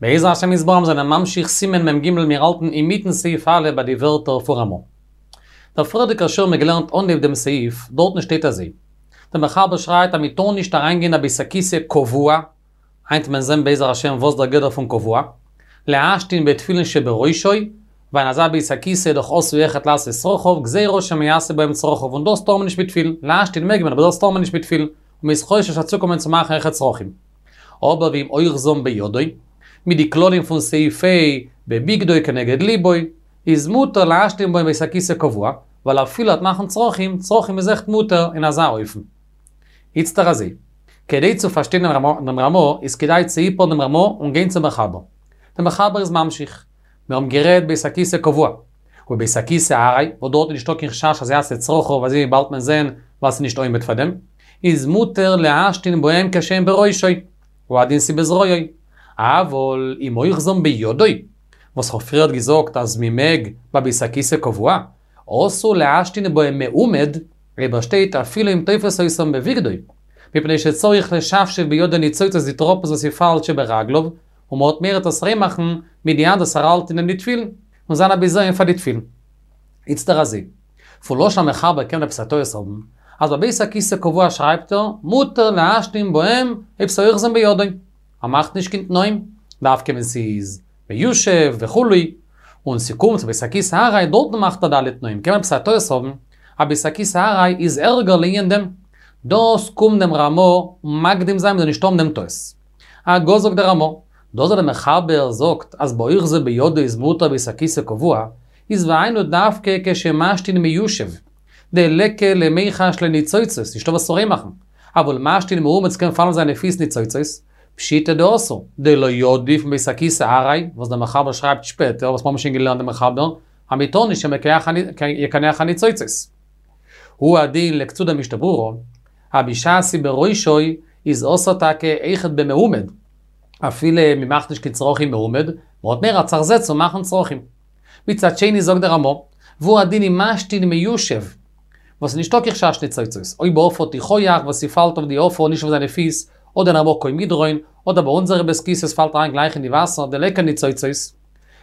בעזר השם יתברך מיר זענען ממשיך סימן מ ג מיר האלטן אינמיטן סעיף א' ביי די ווערטער פון רמא. דער פריערדיגער שיעור האבן מיר געלערנט אנהייב דעם סעיף, דארטן שטייט אזוי, דער מחבר שרייבט אז מען טאר נישט אריינגיין אין א בית הכסא קבוע, היינט וועט מען זען בעזר השם וואס דער גדר פון קבוע, להשתין בתפילין שבראשו, ווייל אין אזא בית הכסא איז דאך עשוי אויכעט לעשות צרכיו, גזירה שמא יעשה בהם צרכיו, און דאס טאר מען נישט מיט תפילין, להשתין מעג מען אבער דאס טאר מען נישט מיט תפילין, און מען איז חושש אז צוקומען צו מאכן אויכעט צרכים. אבער ואם אוחזם בידו, מיט די כללים פון סעיף ה' בבגדו כנגד ליבו, איז מותר להשתין בהם בית הכסא קבוע, ווייל אפילו עט מאכן צרכים, צרכים איז אויכעט מותר אין אזא אופן. איצטער אזוי. כדי צו פארשטיין דעם רמא איז כדאי צו היפערן דעם רמא און גיין צום מחבר. דער מחבר איז ממשיך. מיר האבן גערעדט בית הכסא קבוע. ובית הכסא עראי, וואס דארט איז נישטא קיין חשש אז יעשה צרכיו אזוי ווי באלד וועט מען זען ווייל ס'איז נישט עומד פאר דעם, איז מותר להשתין בהם כשהם בראשו, הוא הדין ס'בזרועו. אבל אם אוחזם בידו, וואס כ'האב פריערט געזאגט אז מ'מעג ביי בית הכסא קבוע, אסור להשתין בהם מעומד, אויב ער שטייט אפילו אם תופס אותם בבגדו, מפני שצריך לשפשף בידו ניצוצות די טראפנס וואס ס'פאלט שברגליו, און מ'האט מורא עס ריין מאכן מיט די האנט וואס ער האלט אין די תפילין, און זיין א בזיון פאר די תפילין. איצטער אזוי, פון לשון המחבר קען מען עפעס א טעות האבן, אז ביי בית הכסא קבוע שרייבט ער, מותר להשתין בהם אויב ס'אוחזם בידו. ער מאכט נישט קיין תנאים, דווקא ווען ס'איז מיושב וכו', און ס'קומט צו בית הכסא עראי דארטן מאכט ער די אלע תנאים, קען מען עפעס א טעות האבן אז בית הכסא עראי איז ערגער לענין דעם. דאס קומט דעם רמא מקדים זיין מ'זאל נישט האבן דעם טעות. הגה זאגט דער רמא, דאס וואס דער מחבר זאגט אז באוחזו בידו איז מותר בית הכסא קבוע, איז והיינו דווקא כשמשתין מיושב, דליכא למיחש לניצוצות, נישטא וואס צו ריין מאכן, אבל משתין מעומד ס'קען פאלן אויף זיינע פיס ניצוצות, פשיטא דאסור, דלא עדיף מבית הכסא עראי, וואס דער מחבר שרייבט שפעטער, וואס מ'האבן שוין געלערנט דעם מחבר, אז מ'טאר נישט שמא יקנח הניצוצות. הוא הדין לקצו דער משנה ברורה, אז בשעת ס'בראשו איז אסור טאקע אויכעט במעומד, אפילו מ'מאכט נישט קיין צרכים מעומד, מ'האט מורא עט זיך זעצן און מאכן צרכים. מצד שני זאגט דער רמא, והוא הדין אם משתין מיושב, וואס איז נישטא קיין חשש ניצוצות, אויב העפר תיחוח וואס ס'פאלט אויף די עפר נישט אויף זיינע פיס, אדער אין א מקום מדרון, אדער ביי אונזערע בית כסא'ס פאלט אריין גלייך אין די וואסער דליכא ניצוצות,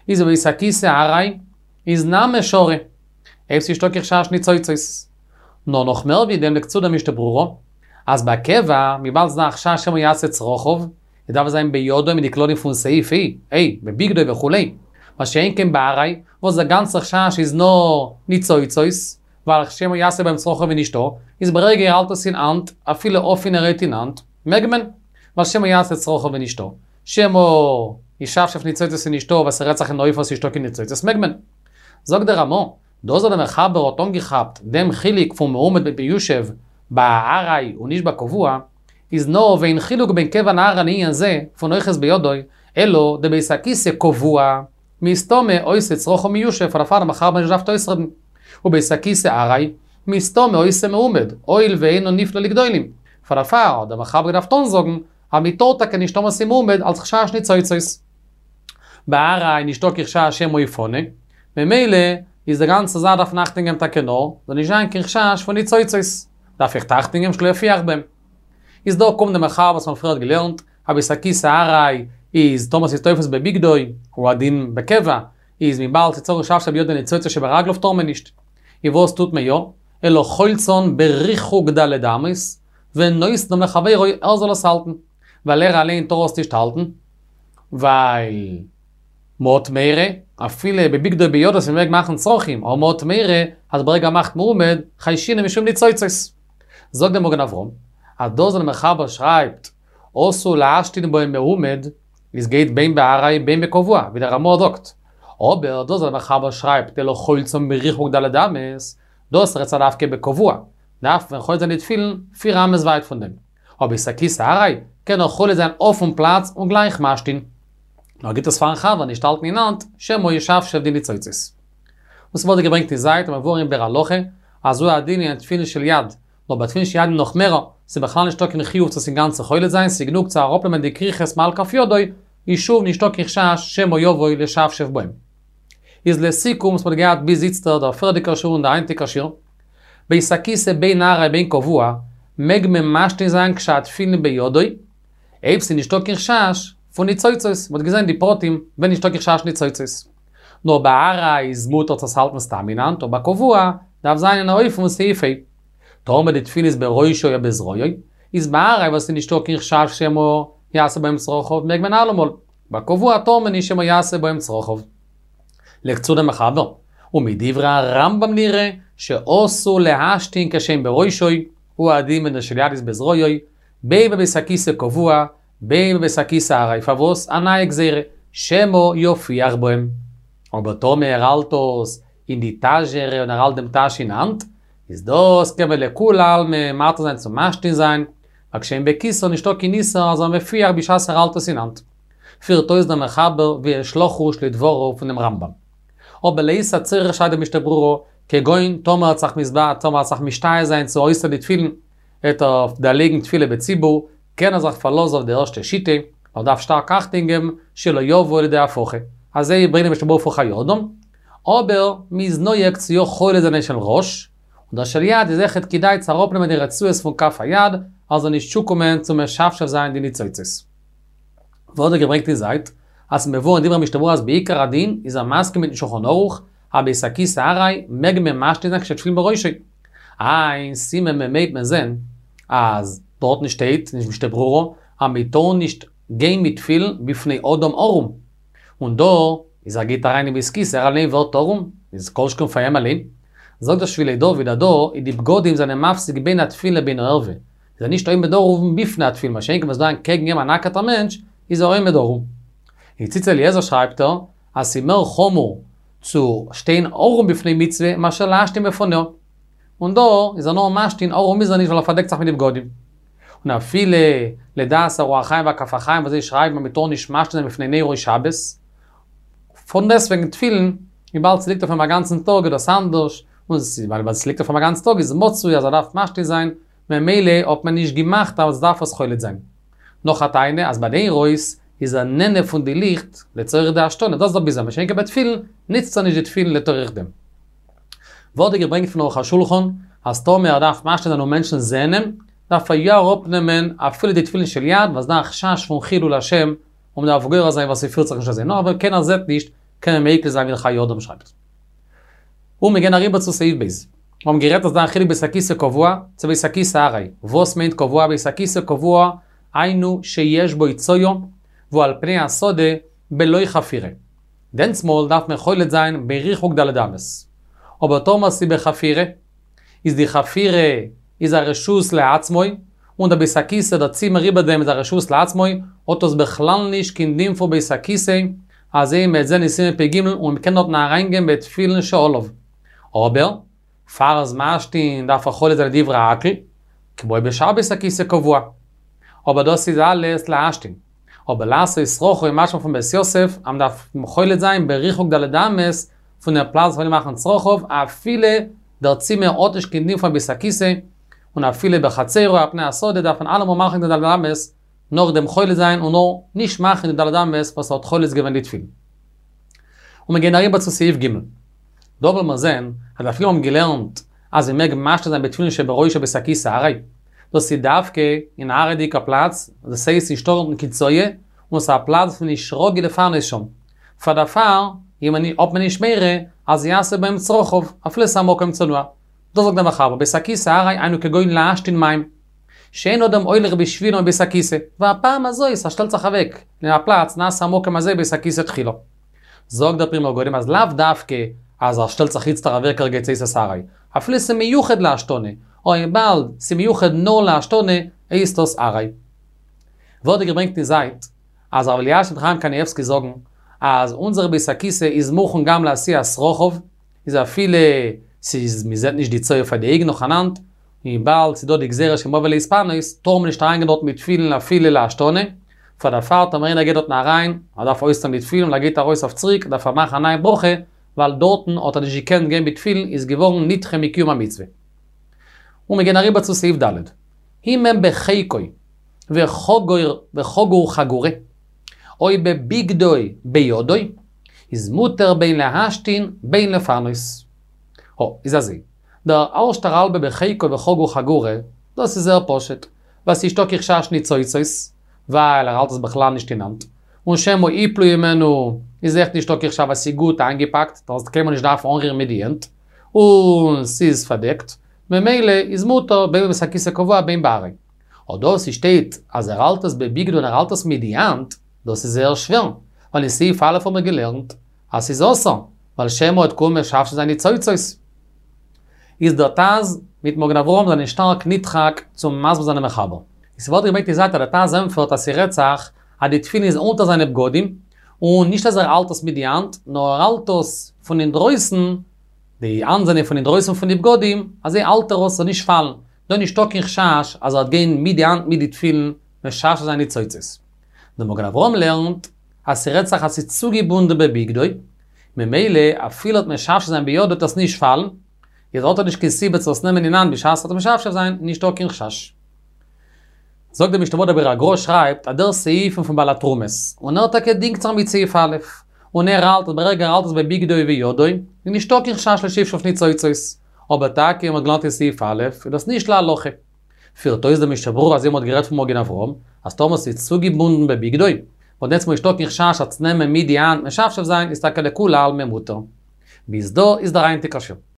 איז בבית הכסא עראי, איז נמי שרי, אויב ס'נישטא קיין חשש ניצוצות. נאר נאך מער ווי דעם לייגט צו דער משנה ברורה, אז ביי קבע, וויבאלד ס'דא א חשש שמא יעשה צרכיו, איז דארף עס זיין בידו מיט די כללים פון סעיף ה', ה', בבגדו וכו'. מה שאין כן בעראי, וואס דער גאנצער חשש איז נאר ניצוצות, ווייל שמא יעשה בהם צרכיו איז נישטא, איז ברגע ער האלט עס אין האנט, אפילו אפענערהייט אין האנט, מעג מען, ווייל שמא יעשה צרכיו איז נישטא. שמא ישפשף ניצוצות איז נישטא, ווייל ס'רעדט זיך אין אן אופן וואס נישטא קיין ניצוצות מעג מען. זאגט דער רמא, דאס וואס דער מחבר האט אנגעכאפט דעם חילוק פון מעומד מיט מיושב ביי עראי און נישט ביי קבוע, איז נאר ואין חילוק בין קבע לעראי לענין זה פון אוחז בידו, אלא דבית הכסא קבוע, מסתמא עושה צרכיו מיושב פאר דערפאר האט דער מחבר נישט געדארפט אויסרעדן. ובית הכסא עראי, מסתמא עושה מעומד, הואיל ואינו נפלא לגדולים, פאר דערפאר האט דער מחבר געדארפט אנזאגן אז מ'טאר טאקע נישט טאמער ס'איז מעומד אלס חשש ניצוצות. ביי עראי נישטא קיין חשש שמא יפנה, ממילא איז די גאנצע זאך דארף מען אכטונג געבן טאקע נאר, זאל נישט זיין קיין חשש פון ניצוצות, דארף איך אכטונג געבן שלא יפיח בהם. איז דא קומט די מחבר וואס מ'האט פריערט געלערנט, אז בית הכסא עראי איז טאמער ס'איז תופס בבגדו, הוא הדין בקבע, איז וויבאלד ס'צריך לשפשף בידו ניצוצות שברגליו טאר מען נישט. איז וואס טוט מען יא? אלא חולצן בריחוק ד' אמות, ונותנם לחבירו ער זאל עס האלטן. ווייל ער אליין טאר עס נישט האלטן, ווייל מ'האט מורא, אפילו בבגדו בידו אז מ'מעג מאכן צרכים, אבער מ'האט מורא אז ברגע מ'מאכט מעומד, חיישינן משום ניצוצות. זאגט דער מגן אברהם, אז דאס וואס דער מחבר שרייבט אסור להשתין בהם מעומד, איז גייט בין בעראי בין בקבוע, ווי דער רמא זאגט. אבער דאס וואס דער מחבר שרייבט אלא חולצן בריחוק ד' אמות, דאס רעדט זיך דווקא בקבוע, דארף מען חולץ זיין די תפילין פיר אמות ווייט פון דעם. אבער בית הכסא עראי, קען ער חולץ זיין אויפן פלאץ און גלייך משתין. נאר גיט עס פארן חבר נישט האלטן אין האנט, שמא ישפשף די ניצוצות. און ס'ווערט געברענגט אין זייט המבואר אין ביאור הלכה, אז הוא הדין אין תפילין של יד, נאר ביי תפילין של יד נאך מער, ס'איז בכלל נישטא קיין חיוב צו עס אינגאנצן חולץ זיין, ס'איז גענוג צו אראפנעמען די כריכות מעל כף ידו, איז שוב נישטא קיין חשש שמא יבוא לשפשף בהם. איז לסיכום וואס מ'האט געהאט ביז איצטער דער פריערדיגער שיעור און דער היינטיגער שיעור, בית הכסא בין עראי בין קבוע, מעג מען משתין זיין כשהתפילין בידו, אויב ס'איז נישטא קיין חשש. פון ניצוצות, מ'האט געזען די פרטים ווען נישטא קיין חשש ניצוצות. נאר ביי עראי איז מותר צו עס האלטן סתם אין האנט, און ביי קבוע דארף זיין אין א אופן פון סעיף ה'. טאמער די תפילין איז בראשו או בזרועו, איז ביי עראי וואס איז נישטא קיין חשש שמא יעשה בהם צרכיו מעג מען אלעמאל, ביי קבוע טאר מען נישט שמא יעשה בהם צרכיו. לייגט צו דער מחבר, ומדברי הרמב"ם נראה שאסור להשתין כשהן בראשו, הוא הדין ווען דער של יד איז בזרועו, בין בבית הכיסא קבוע, בין בבית הכיסא עראי, פארוואס א נייע גזירה, שמא יפיח בהם. אבער טאמער ער האלט עס אין די טאזשערע און ער האלט דעם טאש אין האנט, איז דאס קען מען לכולי עלמא מתיר זיין צו משתין זיין, ווייל כשהן בכיסו נישטא קיין איסור אז ער מפיח בשעת ער האלט עס אין האנט. פירט אויס דער מחבר ויש לחוש לדבריו פונעם רמב"ם. אבער לעת הצורך שרייבט דער משנה ברורה, כגון טאמער האט זיך מסבא טאמער האט זיך משתהה זיין צו אויסטון די תפילין, העט ער דערלייגן תפילה בציבור, קען ער זיך פארלאזן אויף די ערשטע שיטה, נאר דארף שטארק אכטונג געבן שלא יבוא לידי הפחה. אזוי ברענגט דער משנה ברורה פון חיי אדם. אבער מ'איז נוהג צו יא חולץ זיין של ראש, און דער של יד איז אויכעט כדאי צו אראפנעמען די רצועות פון כף היד, אז זאל נישט צוקומען צו משפשף זיין די ניצוצות. ווערט דא געברענגט אין זייט, אז מבואר אין דברי משנה ברורה אז בעיקר הדין איז ער מסכים מיטן שולחן ערוך, אז בית הכסא עראי מעג מען משתין זיין כשתפילין בראשו. אין סימן מ"ה וועט מען זען אז דארטן שטייט אין משנה ברורה אז מען טאר נישט גיין מיט תפילין בפני אדם ערום. און דא איז ער גייט אריין אין בית כסא ער אליין ווערט ערום, איז כל שכן פאר אים אליין. זאגט דער שבילי דוד אז דא איז די בגדים זענען מפסיק בין התפילין לבין הערווה, איז ער נישט עומד ערום בפני התפילין, מה שאין כן ווען ס'דא אנטקעגן אים א נאקעטער מענטש, איז ער עומד ערום. אין ציץ אליעזר שרייבט ער אז ס'איז מער חמור צו שטיין ערום בפני מצוה מאשר להשתין בפניה. און דא איז ער נאר משתין ערום איז ער נישט ווייל ער פארדעקט זיך מיט די בגדים. און אפילו לדעת הרוח החיים והכף החיים וואס זיי שרייבן אז מ'טאר נישט משתין זיין בפני נרו שבת, פונדעסטוועגן תפילין, וויבאלד ס'ליגט אויף אים א גאנצן טאג איז דאס אנדערש, און וויבאלד ס'ליגט אויף אים א גאנצן טאג איז מצוי אז ער דארף משתין זיין, ממילא האט מען נישט געמאכט אז דארף עס חולץ זיין. נאך א טענה אז ביי די נרות איז ער נהנה פון די ליכט לצורך די השתנה, דאס איז דער ביזיון, מה שאין כן ביי תפילין ניצט ער נישט די תפילין לצורך דעם. ווערט דא געברענגט פון ערוך השולחן אז טאמער ער דארף משתין זיין און מענטשן זעהן אים, דארף ער יא אראפנעמען אפילו די תפילין של יד ווייל ס'דא א חשש פון חילול השם און מ'דארף גורר זיין ווייל ס'פירט זיך נישט אזוי, נאר אויב קיינער זעהט נישט קען מען מיקל זיין ווי דער חיי אדם שרייבט. און מיר גייען אריבער צו סעיף ב'. מיר האבן גערעדט אז ס'דא א חילוק בית הכסא קבוע צו בית הכסא ארעי. וואס מיינט קבוע? בית הכסא קבוע היינו שיש בו צואה והוא על פני השדה בלא חפירה. דענסמאל דארף מען חולץ זיין בריחוק ד' אמות. אבער טאמער ס'איז בחפירה, איז די חפירה איז א רשות לעצמו, און דער בית הכסא דער צימער איבער דעם איז א רשות לעצמו, האט דאס בכלל נישט קיין דין פון בית הכסא, אזוי מ'עט זען אין סימן פ"ג און מ'קען דארטן אריינגיין בתפילין שעליו. אבער, פאר ער איז משתין דארף ער חולץ זיין לדברי הכל, כמו בשאר בית הכסא קבוע. אבער דאס איז אלעס להשתין. אבער לעשות צרכו איז משמע פון בית יוסף אז מ'דארף חולץ זיין בריחוק ד' אמות פון דעם פלאץ וואו מאכן צרכיו אפילו דער צימער האט נישט קיין דין פון בית הכסא, און אפילו בחצרו על פני השדה דארף מען אלעמאל מאכן די ד' אמות נאך דעם חולץ זיין און נאר נישט מאכן די ד' אמות וואס האט חולץ געווען די תפילין. און מיר גייען אריבער צו סעיף ג'. דא וועלן מיר זען אז אפילו מיר האבן געלערנט אז מען מעג משתין זיין בתפילין שבראשו בית הכסא ארעי, דאס איז דווקא אין א עראי'דיגע פלאץ, דאס הייסט נישטא דארטן קיין צואה, און ס'איז א פלאץ וואס נישט רגיל לפנות שם. פאר דערפאר האט מען נישט מורא אז יעשה בהם צרכיו, אפילו ס'איז א מקום צנוע. דאס זאגט דער מחבר, בית הכסא ארעי היינו כגון להשתין מים. שאין אדם הולך בשבילו מבית הכסא, והפעם הזאת ער שטעלט זיך אוועק אין א פלאץ נעשה המקום הזה בית הכסא תחילה. זאגט דער פרי מגדים אז לאו דווקא אז ער שטעלט זיך איצטער אוועק ערגעץ הייסט עס ארעי, אפילו ס'איז מיוחד להשתנה, וויבאלד ס'איז מיוחד נאר להשתנה הייסט דאס ארעי. ווערט דא געברענגט אין זייט אז הרב אלישיב חיים קנייבסקי זאגן אז אונזער בית הכסא איז מוכן גם לעשיית צרכיו, איז אפילו ס'איז מ'זעט נישט די צואה פאר די אויגן נאכאנאנד, וויבאלד ס'איז דא די גזירה שמא יבא להתפנות, טאר מען נישט אריינגיין דארט מיט תפילין אפילו להשתנה, פאר דערפאר טאמער איינער גייט דארטן אריין, ער דארף אויסטון די תפילין און ער גייט ארויס אויף צוריק, דארף ער מאכן א נייע ברכה, ווייל דארטן האט ער נישט געקענט גיין מיט תפילין איז געווארן נדחה מקיום המצוה. און מיר גייען אריבער צו סעיף ד'. אם הם בחיקו וחגור וחגור חגורה, או בבגדו בידו, איז מותר בין להשתין בין לפנות. הו, איז אזוי. דער ערשטער האלבע בחיקו וחגור חגורה, דאס איז זייער פשוט, ווייל ס'איז נישטא קיין חשש ניצוצות, ווייל ער האלט עס בכלל נישט אין האנט. און שמא יפלו הימנו איז אויך נישטא קיין חשש ווייל ס'איז גוט איינגעפאקט, דארפסט קיינמאל נישט דארפן אנרירן מיט די הענט, און ס'איז פארדעקט, ממילא איז מותר בין בבית הכסא קבוע בין בעראי. אט דאס ס'שטייט אז ער האלט עס בבגדו און ער האלט עס מיט די האנט, דאס איז זייער שווער, ווייל אין סעיף א' האבן מיר געלערנט אז ס'איז אסור, ווייל שמא וועט קומען משפשף זיין ניצוצות. איז דער טז מיט מגן אברהם זענען שטארק נדחק צו מסביר זיין דעם מחבר. עס ווערט געברענגט אין זייט אז דער טז ענטפערט אז ס'רעדט זיך אז די תפילין איז אונטער זיינע בגדים, און נישט אז ער האלט עס מיט די האנט, נאר ער האלט עס פון אינדרויסן, די האנט זענען פון אינדרויסן פון די בגדים, אזוי האלט ער עס ס'זאל נישט פאלן, דא נישטא קיין חשש אז ער וועט גיין מיט די האנט מיט די תפילין משפשף זיין ניצוצות. דער מגן אברהם לערנט אז ס'רעדט זיך אז ס'איז צוגעבונדן בבגדו, ממילא אפילו ער וועט משפשף זיין בידו וועט עס נישט פאלן, איז האט ער נישט קיין סיבה צו עס נעמען אין האנט בשעת ער וועט משפשף זיין, נישטא קיין חשש. זאגט דער משנה ברורה דער ביאור הגר"א שרייבט אז דער סעיף איז פון בעל התרומות, און ער טאקע דינגט זיך מיט סעיף א', און ער האלט אז ברגע ער האלט עס בבגדו ובידו, איז נישטא קיין חשש לשפשוף ניצוצות, אבער טאקע ווי מ'האט געלערנט אין סעיף א', איז דאס נישט להלכה. פירט אויס דער משנה ברורה אזוי ווי מ'האט גערעדט פון מגן אברהם, אז טאמער ס'איז צוגעבונדן בבגדו, וואס דענסמאל נישטא קיין חשש אז צו נעמען מיט די האנט משפשף זיין איז טאקע לכולי עלמא מותר. ביז דא איז דער היינטיגער שיעור.